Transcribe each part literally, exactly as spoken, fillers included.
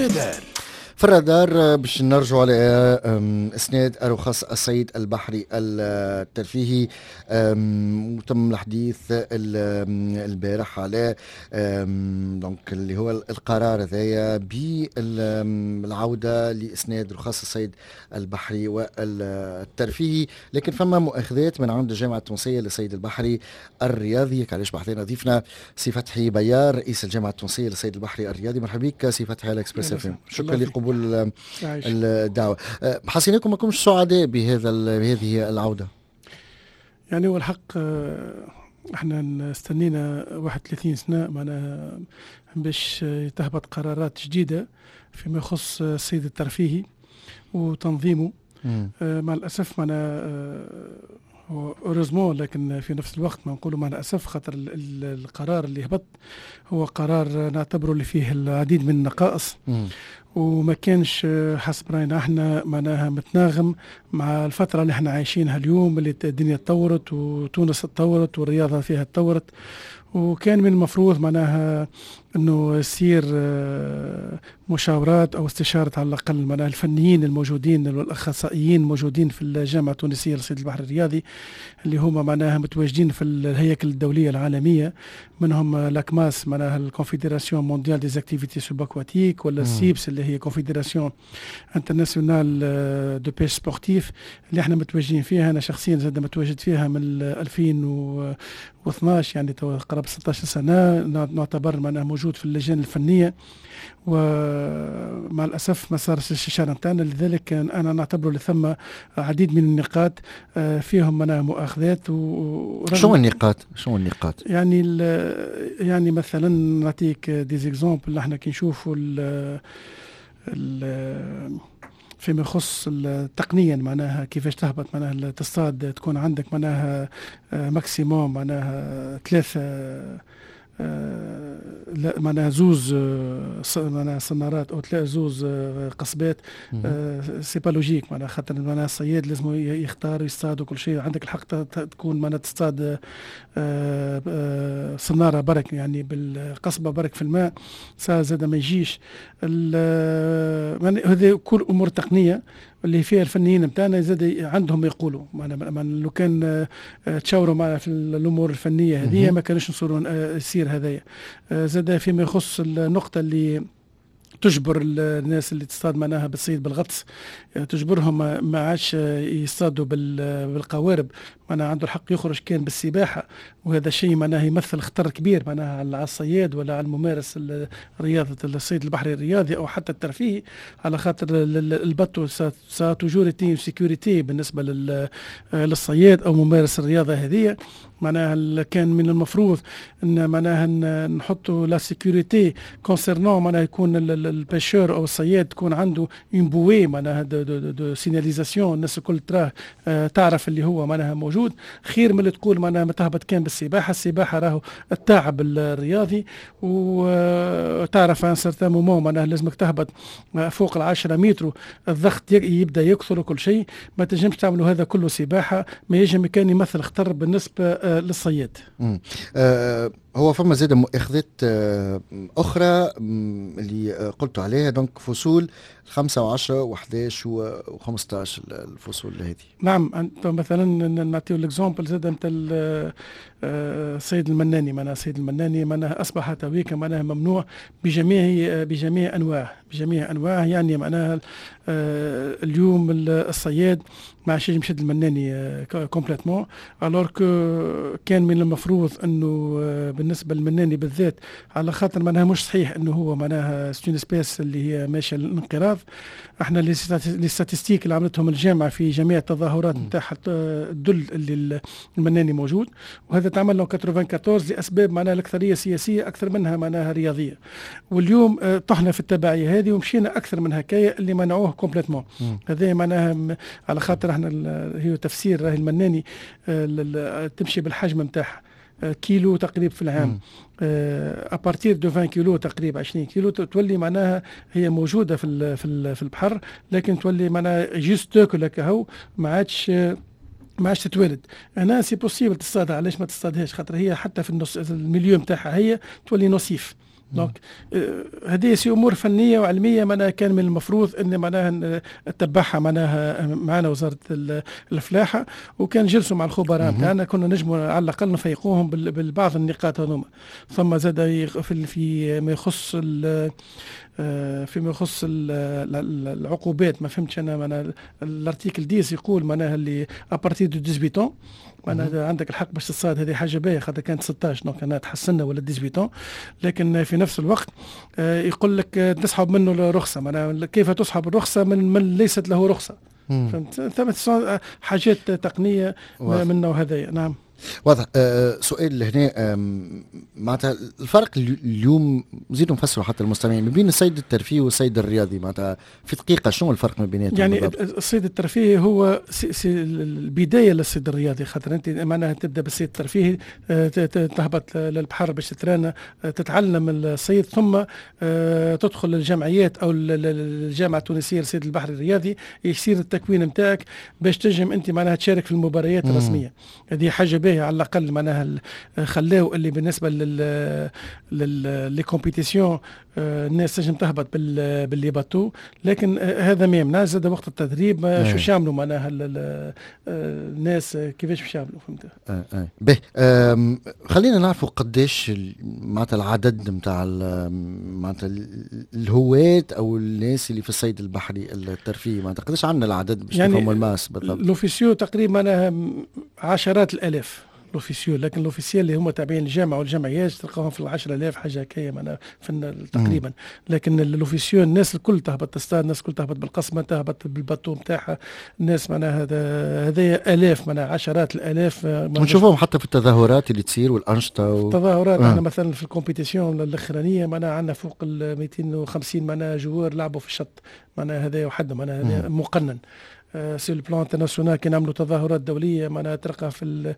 الرادار. في الرادار باش نرجعوا على اسناد رخص الصيد البحري الترفيهي، وتم الحديث البارح على donc اللي هو القرار هذايا بالعودة لاسناد رخص الصيد البحري والترفيهي، لكن فما مؤاخذات من عند الجامعة التونسية للصيد البحري الرياضي. علاش بحذانا ضيفنا سي فتحي بيار، رئيس الجامعة التونسية للصيد البحري الرياضي. مرحبا بك سي فتحي على Express FM، شكرا لقبول الدعوة. أه، حسيناكم ما كنتش سعداء بهذا بهذه العودة. يعني هو الحق أه، احنا استنينا واحد وثلاثين سنة معناها باش تهبط قرارات جديدة فيما يخص الصيد الترفيهي وتنظيمه. آه مع الاسف معناها heureusement، لكن في نفس الوقت ما نقولوا مع الاسف، خاطر القرار اللي هبط هو قرار نعتبره اللي فيه العديد من النقائص وما كانش حسب راينا احنا معناها متناغم مع الفترة اللي احنا عايشينها اليوم، اللي الدنيا تطورت وتونس تطورت والرياضة فيها تطورت. وكان من المفروض معناها انه يصير آه، مشاورات او استشاره على الاقل معناها الفنيين الموجودين والاخصائيين الموجودين في الجامعة التونسية لصيد البحر الرياضي، اللي هما معناها متواجدين في الهياكل الدولية العالميه، منهم la CMAS، معناها ال Confédération mondiale des activités subaquatiques، ولا ال CIPS اللي هي Confédération internationale de pêche sportive، اللي احنا متواجدين فيها. انا شخصيا زاد متواجد فيها من ألفين واثناش، يعني قرابة ستاش سنة نعتبر معناها موجود في اللجان الفنيه، ومع الاسف ما صارش الاستشارة نتاعنا. لذلك انا نعتبره ثم عديد من النقاط آه، فيهم معناها مؤاخذات. و شو النقاط؟ شو النقاط؟ يعني يعني مثلا نعطيك des exemples، احنا كي نشوفوا ال فيما يخص تقنيا معناها كيفاش تهبط معناها تصطاد، تكون عندك معناها maximum معناها ثلاثة آه، لا معناها زوز آه، معناها صنارات او ثلاث زوز آه، قصبات، c'est pas logique. معناها خاطر معناها الصياد لازم يختار يصطاد وكل شيء. عندك الحق تكون معناها تصطاد صناره برك، يعني بالقصبه برك في الماء، زاد ما يجيش. هذه كل امور تقنية اللي فيها الفنيين نتاعنا زاد عندهم يقولوا معنا لو كان آه، تشاوروا معنا في الامور الفنية هذه ما كانش نصيروا آه، يصير هذايا. آه، زاد فيما يخص النقطة اللي تجبر الناس اللي تصطاد معناها بالصيد بالغطس، تجبرهم ما عادش يصطادوا بالقوارب، معناها عنده الحق يخرج كان بالسباحه، وهذا شيء معناها يمثل خطر كبير معناها على الصياد ولا على الممارس رياضة الصيد البحري الرياضي او حتى الترفيهي، على خاطر ال bateau ça a toujours été sécurité بالنسبة للصياد او ممارس الرياضة هذه. معناها كان من المفروض ان معناها نحطوا la sécurité concernant معناها يكون ال pêcheur او الصياد تكون عنده une bouée معناها de, de, de signalisation، الناس الكل تراه آه، تعرف اللي هو معناها موجود، خير من اللي تقول معناها ما تهبط كان بالسباحه. السباحة راهو التعب الرياضي، وتعرف un certain moment معناها لازمك تهبط فوق العشرة متر، الضغط يبدا يكثر وكل شيء، ما تنجمش تعملوا هذا كله سباحه، ما يجم كان يمثل خطر بالنسبة آه، للصياد. آه هو فما زاد مؤاخذات آه، اخرى اللي قلت عليها، donc فصول خمسة وعشرة وحداش وخمسطاش، الفصول هذه. نعم، انت مثلا نعطيو l'exemple زاد نتاع الصيد المناني. معناها الصيد المناني معناها اصبح تويكا معناها ممنوع بجميع بجميع انواعه بجميع انواعه يعني معناها آه، اليوم الصياد ما عادش يشد المناني complètement، alors que كان من المفروض انه آه، بالنسبة للمناني بالذات، على خاطر معناها مش صحيح انه هو معناها c'est une espèce اللي هي ماشية للانقراض. احنا les statistiques اللي عملتهم الجامعة في جميع التظاهرات نتاعها تدل اللي المناني موجود، وهذا تعمل له أربعة وثمانين لاسباب معناها الاكثرية سياسية اكثر منها معناها رياضيه. واليوم آه، طحنا في التبعية هذه ومشينا اكثر من هكايا اللي منعوه complètement. هذا معناها على خاطر احنا هي تفسير راهي المناني آه، تمشي بالحجم نتاعها، آه، كيلو تقريبا في العام، à partir de عشرين كيلو تقريبا، عشرين كيلو تولي معناها هي موجودة في في في البحر، لكن تولي معناها juste تاكل هكا، ما عادش ما عادش تتولد. هنا c'est possible تصطادها. علاش ما تصطادهاش؟ خاطر هي حتى في النص ال milieu نتاعها هي تولي nocif. donc هذه c'est امور فنية وعلميه، معناها كان من المفروض ان معناها تتبعها معناها معنا وزارة الفلاحه، وكان جلسوا مع الخبراء نتاعنا كنا نجموا على الاقل نفيقوهم بالبعض النقاط هذوما. ثم زاد في في ما يخص آه، فيما يخص العقوبات، ما فهمتش انا، معناها l'article عشرة يقول معناها اللي à partir de dix-huit معناها عندك الحق باش تصطاد. هذه حاجة باهيه خاطر كانت ستاش، donc انا تحسنا ولا ثمنطاش، لكن في نفس الوقت آه، يقول لك تسحب منه الرخصه. معناها كيف تسحب الرخصة من من ليست له رخصه؟ فهمت؟ ثم حاجات تقنية من النوع هذايا، نعم. واضح. أه سؤال هنا، معناتها الفرق اليوم، نزيدوا نفسروا حتى المستمعين، ما بين الصيد الترفيهي والصيد الرياضي، معناتها في دقيقة شنو الفرق ما بيناتهم؟ يعني بالضبط؟ الصيد الترفيهي هو c'est c'est البداية للصيد الرياضي، خاطر انت معناها تبدا بالصيد الترفيهي، آه، تهبط للبحر باش تترانا، آه، تتعلم الصيد، ثم آه، تدخل الجمعيات او الجامعة التونسية للصيد البحري الرياضي، يصير التكوين نتاعك باش تنجم انت معناها تشارك في المباريات الرسميه. هذه حاجة باهيه، على الاقل معناها خلاو اللي بالنسبة لل les compétitions الناس تنجم تهبط بال les bateaux، لكن هذا ما يمنع زاد وقت التدريب شو باش يعملوا معناها الناس، كيفاش باش يعملوا؟ فهمت؟ اه اه به، خلينا نعرفوا قداش معناتها العدد نتاع معناتها الهواة او الناس اللي في الصيد البحري الترفيهي، معناتها قداش عندنا العدد باش يعني نفهموا ال masse بالضبط. l'officieux تقريبا معناها عشرات الالاف l'officieux، لكن l'officiel اللي هما تابعين الجامعة والجمعيات تلقاهم في العشرة آلاف حاجة هكايا معناها في تقريبا. لكن l'officieux الناس الكل تهبط تصطاد، الناس الكل تهبط بالقصبه، تهبط بال bateau نتاعها الناس، معناها هذا هذا الاف، معناها عشرات الالاف. نشوفهم حتى في التظاهرات اللي تصير والانشطه و... التظاهرات آه. احنا مثلا في ال compétition الاخرانية معناها عندنا فوق ال ميتين وخمسين معناها joueurs لعبوا في الشط، معناها هذا وحده معناها هذا مقنن. sur le plan international كي نعملوا تظاهرات دولية معناها تلقى في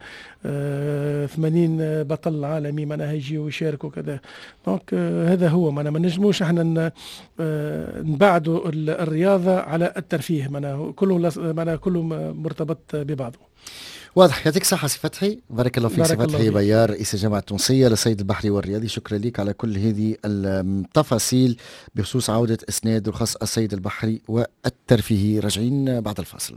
ثمانين آه، بطل عالمي معناها يجيوا ويشاركوا كذا. donc آه، هذا هو، معناها ما نجموش احنا آه، نبعدوا الرياضة على الترفيه، معناها كله معناها كله مرتبط ببعضه. واضح. يعطيك الصحة سي فتحي، بارك الله فيك. سي فتحي بيار، رئيس الجامعة التونسية للصيد البحري والرياضي، شكرا لك على كل هذه التفاصيل بخصوص عودة إسناد رخص الصيد البحري والترفيهي. راجعين بعد الفاصل.